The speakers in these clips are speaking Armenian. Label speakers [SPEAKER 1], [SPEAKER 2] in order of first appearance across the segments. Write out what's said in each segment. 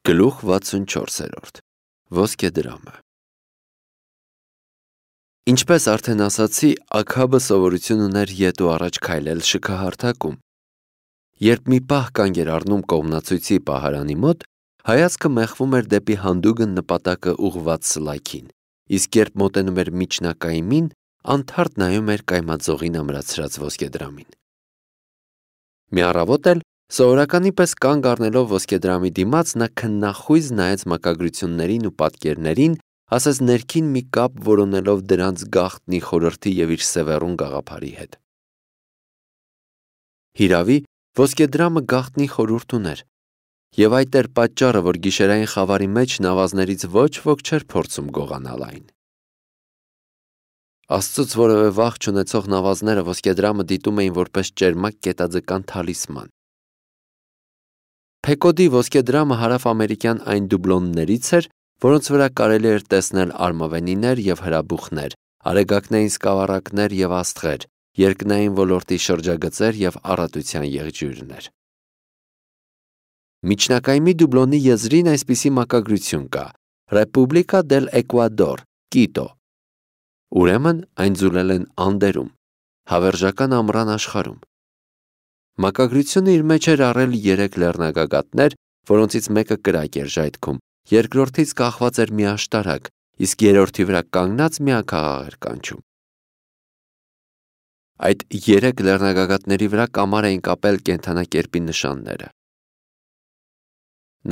[SPEAKER 1] Գլուխ 64 Ոսկեդրամը Ինչպես արդեն ասացի, Աքաբը սովորություն ուներ ետ ու առաջ քայլել շքահարթակում։ Երբ մի պահ կանգ էր առնում կողմնացույցի պահարանի մոտ, հայացքը մեղվում էր դեպի հանդուգն նպատակը ուղղված սլայքին, իսկ երբ մոտենում էր միջնակայմին, անթարթ նայում էր կայմածողին ամրացրած ոսկեդրամին։ Մի առավոտ էլ սովորականի պես կանգ առնելով ոսկեդրամի դիմաց, նա քննախույզ նայեց մակագրություններին ու պատկերներին, ասես ներքին մի կապ որոնելով դրանց գաղտնի խորհրդի և իր սևեռուն գաղափարի հետ։ Հիրավի, ոսկեդրամը գաղտնի խորհուրդ ուներ, և այդ էր պատճառը, որ գիշերային խավարի մեջ նավազներից ոչ ոք չէր փորձում գողանալ այն։ Աստծուց որևէ վախ չունեցող նավազները ոսկեդրամը դիտում էին որպես ճերմակ կետաձկան թալիսման։ Փեկոդի ոսկեդրամը հարավ-ամերիկյան այն դուբլոններից էր, որոնց վրա կարելի էր տեսնել արմավենիներ և հրաբուխներ, արեգակնային սկավառակներ և աստղեր, երկնային ոլորտի շրջագծեր և առատության եղջյուրներ։ Միջնակայմի դուբլոնի եզրին այսպիսի մակագրություն կա. Ռեպուբլիկա դել Էկվադոր, Կիտո։ Ուրեմն այն ձուլել են Անդերում, հավերժական ամռան աշխարհում։ Մակագրությունը իր մեջ էր առել 3 լեռնագագաթներ, որոնցից մեկը կրակ էր ժայթքում, երկրորդից կախված էր մի աշտարակ, իսկ երրորդի վրա կանգնած մի աքաղաղ էր կանչում։ Այդ 3 լեռնագագաթների վրա կամար էին կապել կենդանակերպի նշանները։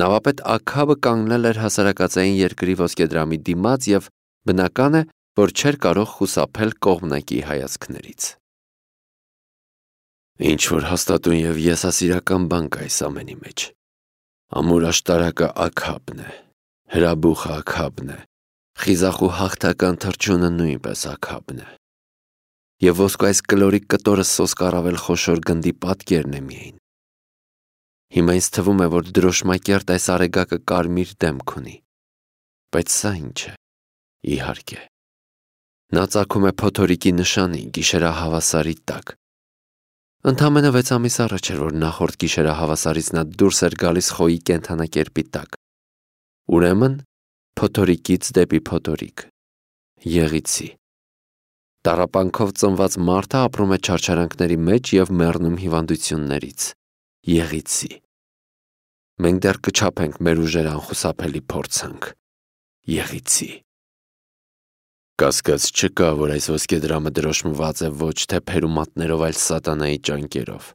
[SPEAKER 1] Նավապետ Աքաբը կանգնել էր հասարակածային երկրի ոսկեդրամի դիմաց և բնական է, որ չէր կարող խուսափել կողմնակի հայացքներից։ Ինչ-որ հաստատուն և եսասիրական բան կա այս ամենի մեջ։ Ամուր աշտարակը Աքաբն է, հրաբուխը Աքաբն է, խիզախ ու հաղթական թռչունը նույնպես Աքաբն է։ Եվ ոսկու այս կլորիկ կտորը սոսկառավել խոշոր գնդի պատկերն է միայն։ Հիմա ինձ թվում է, որ դրոշմակերտ այս արեգակը կարմիր դեմք ունի։ Բայց սա ինչ է։ Իհարկե։ Նա ծագում է փոթորիկի նշանի գիշերահավասարի տակ։ Ընդամենը 6 ամիս առաջ էր, որ նախորդ գիշերահավասարից նա դուրս էր գալիս խոյի կենդանակերպի տակ։ Ուրեմն, փոթորիկից դեպի փոթորիկ։ Եղիցի։ Տառապանքով ծնված մարդը ապրում է չարչարանքների մեջ և մեռնում հիվանդություններից։ Եղիցի։ Մենք դեռ կչափենք մեր ուժերը անխուսափելի փորձանք։ Եղիցի։ Կասկած չկա, որ այս ոսկեդրամը դրոշմված է ոչ թե փերումատներով, այլ սատանայի ճանկերով։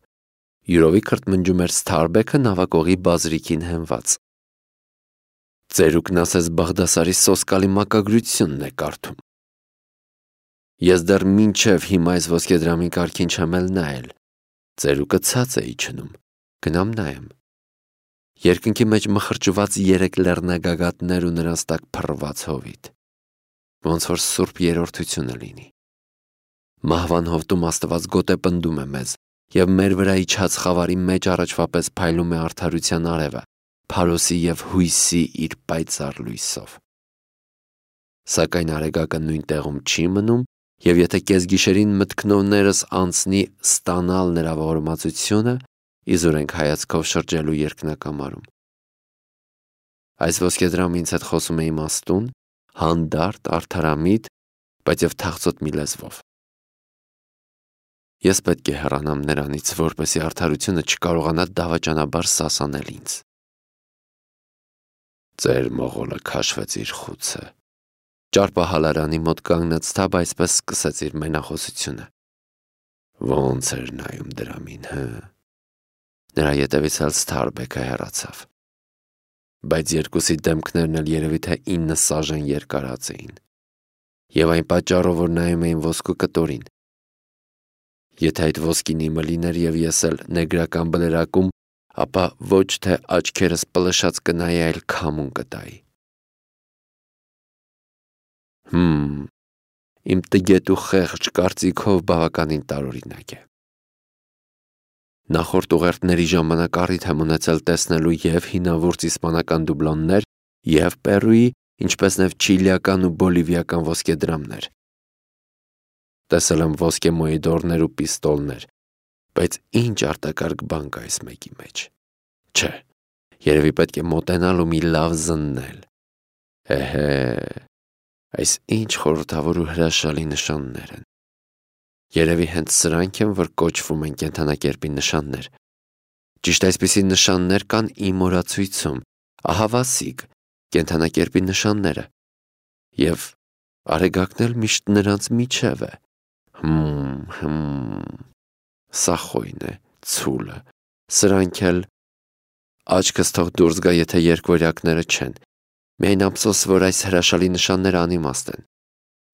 [SPEAKER 1] Յուրովի քրթմնջում էր Սթարբեքը նավակողի բազրիկին հենված։ Ծերուկն ասես Բաղդասարի սոսկալի մակագրությունն է կարդում։ Ես դեռ մինչև հիմա այս ոսկեդրամի կարգին չեմ էլ նայել։ Ծերուկը ցած է իջնում։ Գնամ նայեմ։ Երկնքի մեջ մխրճված 3 լեռնագագաթներ ու նրանց տակ փռված հովիտ։ Ոնց որ սուրբ երրորդությունը լինի։ Մահվան հովտում Աստված գոտե պնդում է մեզ, և մեր վրա իջած խավարի մեջ առաջվա պես փայլում է արդարության արևը, փարոսի և հույսի իր պայծառ լույսով։ Սակայն արեգակը նույն տեղում չի մնում, և եթե կեսգիշերին մտքնովներս անցնի ստանալ նրա ողորմածությունը, իզուր ենք հայացքով շրջելու երկնակամարում։ Այս ոսկեդրամը ինձ հետ խոսում է իմաստուն, հանդարտ, արդարամիտ, բայց և թախծոտ մի լեզվով։ Ես պետք է հեռանամ նրանից, որպեսզի արդարությունը չկարողանա դավաճանաբար սասանել ինձ։ Ծեր մողոլը քաշվեց իր խուցը։ Ճարպահալարանի մոտ կանգնած թաբը այսպես սկսեց իր մենախոսությունը։ Ոնց էր նայում դրամին, հը։ Նրա ետևից էլ Սթարբեքը հեռացավ։ Բայց երկուսի դեմքներն էլ երևի թե 9 սաժեն երկարած էին։ Եվ այն պատճառով, որ նայում էին ոսկու կտորին։ Եթե այդ ոսկին իմը լիներ և ես էլ նեգրական բլերակում, ապա ոչ թե աչքերս պլշած կնայի, այլ քամուն կտայի։ Իմ տգետ ու խեղճ կարծիքով բավականին տարօրինակ է։ Նախորդ ուղերձների ժամանակ առիթ եմ ունեցել տեսնելու և հինավուրց իսպանական դուբլոններ, և Պերուի, ինչպես նաև չիլիական ու բոլիվիական ոսկեդրամներ։ Տեսել եմ ոսկե մոիդորներ ու պիստոլներ, բայց ինչ արտակարգ բան կա այս մեկի մեջ։ Չէ, Երևի պետք է մոտենալ ու մի լավ զննել։ Այս ինչ խորհրդավոր ու հրաշալի նշաններ են։ Երևի հենց սրանք են, որ կոչվում են կենդանակերպի նշաններ։ Ճիշտ այսպիսի նշաններ կան իմ օրացույցում, ահա Վասիկ, կենդանակերպի նշանները, և Արեգակն էլ միշտ նրանց միջև է։ Սա խոյն է, ցուլը, սրանք էլ աչքս թող դուրս գա, եթե երկվորյակները չեն, միայն ափսոս, որ այս հրաշալի նշանները անիմաստ են,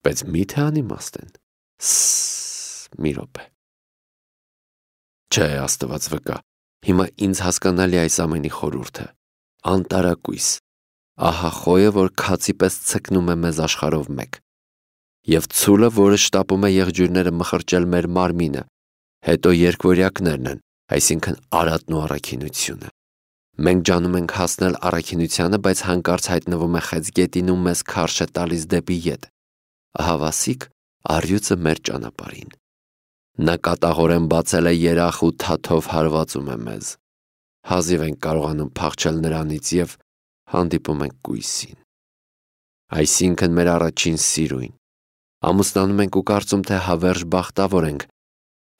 [SPEAKER 1] բայց մի՞թե անիմաստ են։ Մի րոպե։ Չէ, Աստված վկա, հիմա ինձ հասկանալի այս ամենի խորհուրդը, անտարակույս, ահա խոյը, որ քացի պես ցկնում է մեզ աշխարհով մեկ, և ցուլը, որը շտապում է եղջյուրները մխրճել մեր մարմինը, հետո երկվորյակներն են, այսինքն արատն ու առաքինությունը։ Մենք ջանում ենք հասնել առաքինությանը, բայց հանկարծ հայտնվում է խեցգետին ու մեզ քարշ է տալիս դեպի ետ։ Ահա Վասիկ առյուծը մեր ճանապարհին։ Նա կատաղորեն բացել է երախ ու թաթով հարվածում է մեզ։ Հազիվ ենք կարողանում փախչել նրանից և հանդիպում ենք կույսին։ Այսինքն մեր առաջին սիրույն։ Ամուսնանում ենք ու կարծում, թե հավերժ բախտավոր ենք,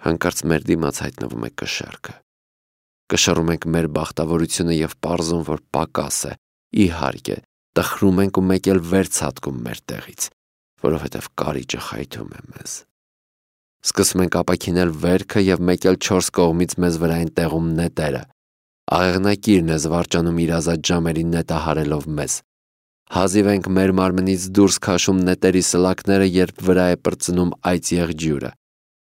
[SPEAKER 1] հանկարծ մեր դիմաց հայտնվում է կշեռքը։ Կշռում ենք մեր բախտավորությունը և պարզում, որ պակաս է, իհարկե, տխրում ենք ու մեկ էլ վեր ցատկում մեր տեղից, որովհետև կարիճը խայթում է մեզ։ Սկսում ենք ապաքինել վերքը և մեկ էլ 4 կողմից մեզ վրա են տեղում նետերը։ Աղեղնակիրն է զվարճանում իր ազատ ժամերին նետահարելով մեզ։ Հազիվ ենք մեր մարմնից դուրս քաշում նետերի սլաքները, երբ վրա է պրծնում այծ եղջյուրը։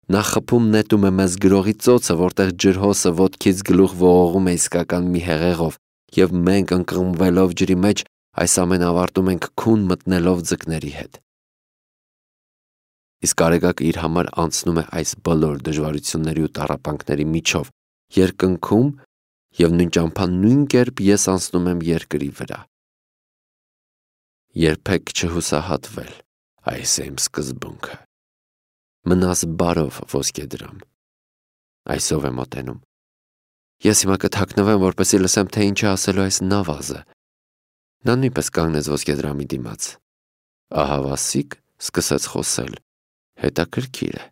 [SPEAKER 1] Նա խփում նետում է մեզ գրողի ծոցը, որտեղ ջրհոսը ոտքից գլուխ ողողում է իսկական մի հեղեղով, և մենք ընկղմվելով ջրի մեջ այս ամենը ավարտում ենք քուն մտնելով ձկների հետ։ Իսկ Արեգակը իր համար անցնում է այս բոլոր դժվարությունների ու տառապանքների միջով, երկնքում, և նույն ճամփան նույն կերպ ես անցնում եմ երկրի վրա։ Երբեք չհուսահատվել, այս է իմ սկզբունքը։ Մնաս բարով, ոսկեդրամ։ Այսով է մոտենում։ Ես հիմա կթաքնվեմ, որպեսզի լսեմ, թե ինչ է ասելու այս նավազը։ Նա նույնպես կանգնեց ոսկեդրամի դիմաց։ Ահա Վասիկ սկսեց խոսել։ Հետաքրքիր է։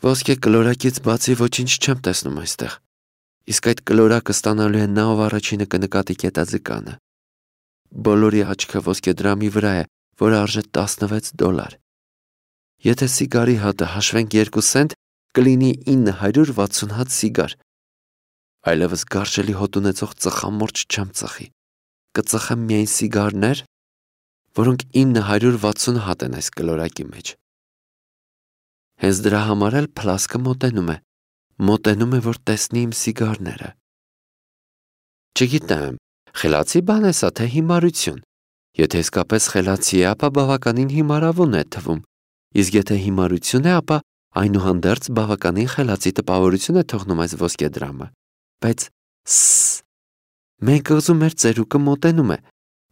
[SPEAKER 1] Ոսկե կլորակից բացի ոչինչ չեմ տեսնում այստեղ։ Իսկ այդ կլորակը ստանալու է նա, ով առաջինը կնկատի կետաձկանը։ Բոլորի աչքը ոսկեդրամի վրա է, որը արժե $16։ Եթե սիգարի հատը հաշվենք 2 սենտ, կլինի 960 հատ սիգար։ Այլևս գարշելի հոտ ունեցող ծխամորճ չեմ ծխի։ Կծխեմ միայն սիգարներ, որոնք 960 հատ են այս կլորակի մեջ։ Հենց դրա համար էլ փլասկը մոտենում է, որ տեսնի իմ սիգարները։ Չգիտեմ, խելացի բան է սա, թե հիմարություն։ Եթե իսկապես խելացի է, ապա բավականին հիմարավուն է թվում, իսկ եթե հիմարություն է, ապա այնուհանդերձ բավականին խելացի տպավորություն է թողնում այս ոսկեդրամը։ Բայց մեր կղզու մեր ծերուկը մոտենում է։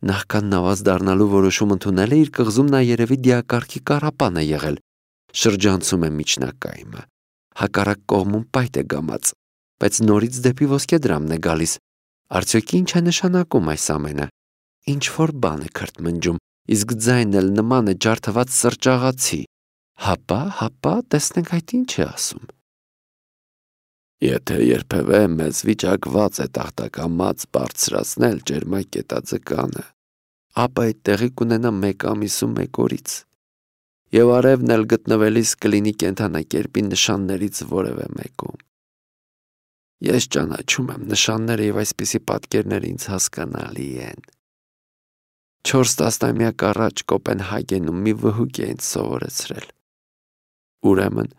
[SPEAKER 1] Նախքան նավազ դառնալու որոշում ընդունել է, իր կղզում նա երևի դիակարգի կառապան է եղել, շրջանցում է միջնակայմը, հակառակ կողմում պայթ է գամած, բայց նորից դեպի ոսկեդրամն է գալիս։ Արդյոք ինչ է նշանակում այս ամենը։ Ինչ-որ բան է քրթմնջում, իսկ ձայնն էլ նման է ջարդված սրճաղացի։ Հապա, տեսնենք այդ ինչ է ասում։ Եթե երբևէ մեզ վիճակված է տախտակամած բարձրացնել ջերմակ կետաձկանը, ապա այդ տեղի կունենա 1 ամիս ու 1 օրից, և արևն էլ գտնվելիս կլինի կենդանակերպի նշաններից որևէ մեկում։ Ես ճանաչում եմ նշանները և այսպիսի պատկերներ ինձ հասկանալի են։ 4 տասնամյակ առաջ Կոպենհագենում մի վհուկ է ինձ սովորեցրել։ Ուրեմն,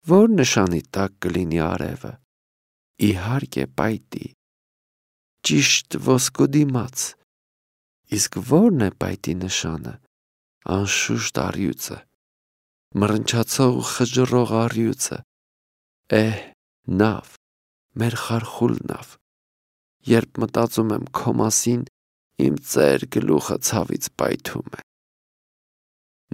[SPEAKER 1] որ նշանի տակ կլինի արևը։ Իհարկե պայտի, ճիշտ ոսկու դիմաց։ Իսկ ո՞րն է պայտի նշանը։ Անշուշտ առյուծը, մռնչացող ու խժռող առյուծը։ Նավ, մեր խարխուլ նավ։ Երբ մտածում եմ քո մասին, իմ ծեր գլուխը ցավից պայթում է։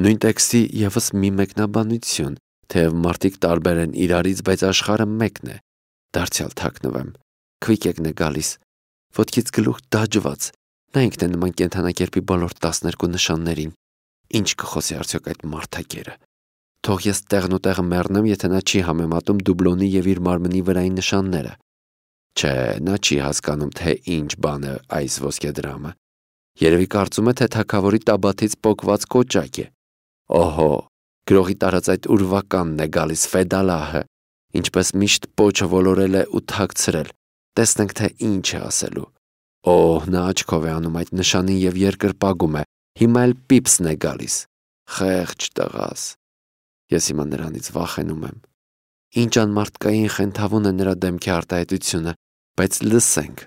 [SPEAKER 1] Նույն տեքստի ևս մի մեկնաբանություն, թեև մարդիկ տարբեր են իրարից, բայց աշխարհը մեկն է։ Դարձյալ թաքնվեմ, քվիկեկն է գալիս, ոտքից գլուխ դաջված, նա ինքն է նման կենդանակերպի բոլոր 12 նշաններին։ Ինչ կխոսի արդյոք այդ մարդակերը։ Թող ես տեղն ու տեղը մեռնեմ, եթե նա չի համեմատում դուբլոնի եւ իր մարմնի վրայի նշանները։ Չէ, նա չի հասկանում, թե ինչ բան է այս ոսկեդրամը։ Երևի կարծում է, թե թագավորի տաբաթից պոկված կոճակ է։ Օհո, գրողի տարած այդ ուրվականն է գալիս Ֆեդալահը, ինչպես միշտ պոչը ոլորել է ու թաքցրել։ Տեսնենք, թե ինչ է ասելու։ Օհ, նա աչքով է անում այդ նշանին եւ երկրպագում է։ Հիմա էլ պիպսն է գալիս։ Խեղճ տղաս։ Ես հիմա նրանից վախենում եմ։ Ինչ անմարդկային խենթավուն է նրա դեմքի արտահայտությունը, բայց լսենք։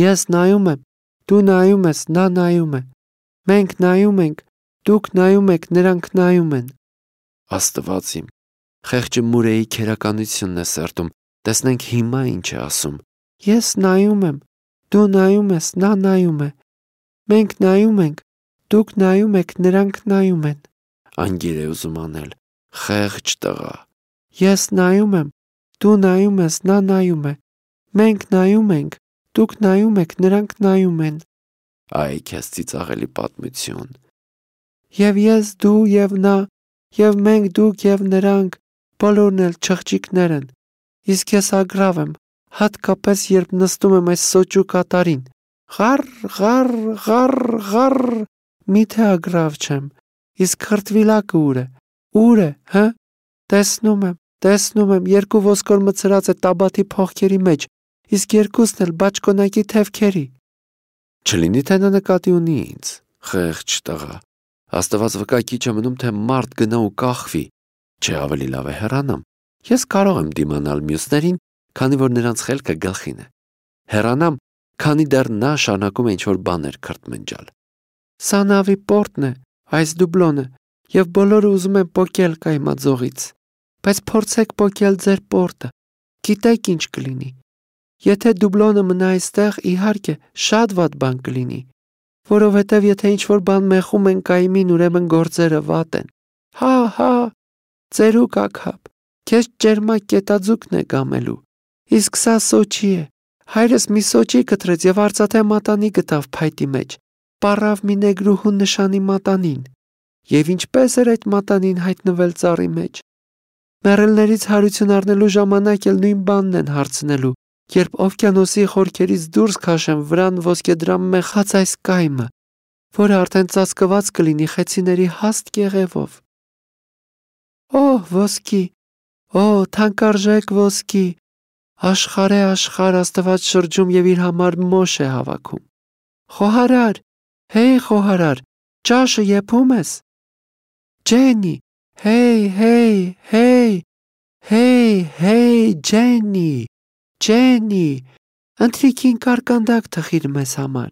[SPEAKER 1] Ես նայում եմ, դու նայում ես, նա նայում է։ Մենք նայում ենք, դուք նայում եք, նրանք նայում են։ Աստված իմ, խեղճը Մուրեի քերականությունն է սերտում, տեսնենք հիմա ինչ է ասում։ Ես նայում եմ, դու նայում ես, նա նայում է։ Մենք նայում ենք, դուք նայում եք, նրանք նայում են։ Անգիր է ուզում անել, խեղճ տղա։ Ես նայում եմ, դու նայում ես, նա նայում է։ Մենք նայում ենք, դուք նայում եք, նրանք նայում են։ Այ քեզ ծիծաղելի պատմություն։ Եվ ես, դու եւ նա, եւ մենք, դուք եւ նրանք, բոլորն էլ չղջիկներ են։ Իսկ ես ագրավ եմ, հատկապես երբ նստում եմ այս սոճու կատարին։ Ղար, ղար, ղար, ղար, միթե ագրավ չեմ։ Իսկ խրտվիլակը ուր է։ Ուր է, հա։ Տեսնում եմ, երկու ոսկոր մցրած է տաբաթի փողքերի մեջ, իսկ երկուսն էլ բաճկոնակի թևքերի։ Չլինի թե նա նկատի ունի ինձ, խեղճ տղա։ Աստված վկա քիչ է մնում, թե մարդ գնա ու կախվի։ Չէ, ավելի լավ է հեռանամ։ Ես կարող եմ դիմանալ մյուսներին, քանի որ նրանց խելքը գլխին է։ Հեռանամ, քանի դեռ նա շարունակում է ինչ-որ բաներ քրթմնջալ։ Սա նավի պորտն է, այս դուբլոնը, եւ բոլորը ուզում են պոկել կայմաձողից։ Բայց փորձեք պոկել ձեր պորտը։ Գիտեք ինչ կլինի։ Եթե դուբլոնը մնա այստեղ, իհարկե, շատ վատ բան կլինի, որովհետև եթե ինչ-որ բան մեխում են կայմին, ուրեմն գործերը վատ են։ Հա, ծերուկ աքափ, քեզ ճերմակ կետաձուկն է գամելու։ Իսկ սա սոճի է։ Հայրս մի սոճի կտրեց եւ արծաթե մատանի գտավ փայտի մեջ։ Պառավ մի նեգրուհու նշանի մատանին։ Եվ ինչպես էր այդ մատանին հայտնվել ծառի մեջ։ Մեռելներից հարություն առնելու ժամանակ էլ նույն բանն են հարցնելու, երբ օվկիանոսի խորքերից դուրս քաշեն վրան ոսկեդրամ մեխած այս կայմը, որը արդեն ծածկված կլինի խեցիների հաստ կեղևով։ Օհ, ոսկի, թանկարժեք ոսկի, աշխարհ է աշխարհ Աստված շրջում եւ իր համար մոշ է հավաքում։ Խոհարար, հեյ խոհարար, ճաշը եփում ես։ Ջենի, հեյ, Ջենի, ընթրիքին կարկանդակ թխիր մեզ համար։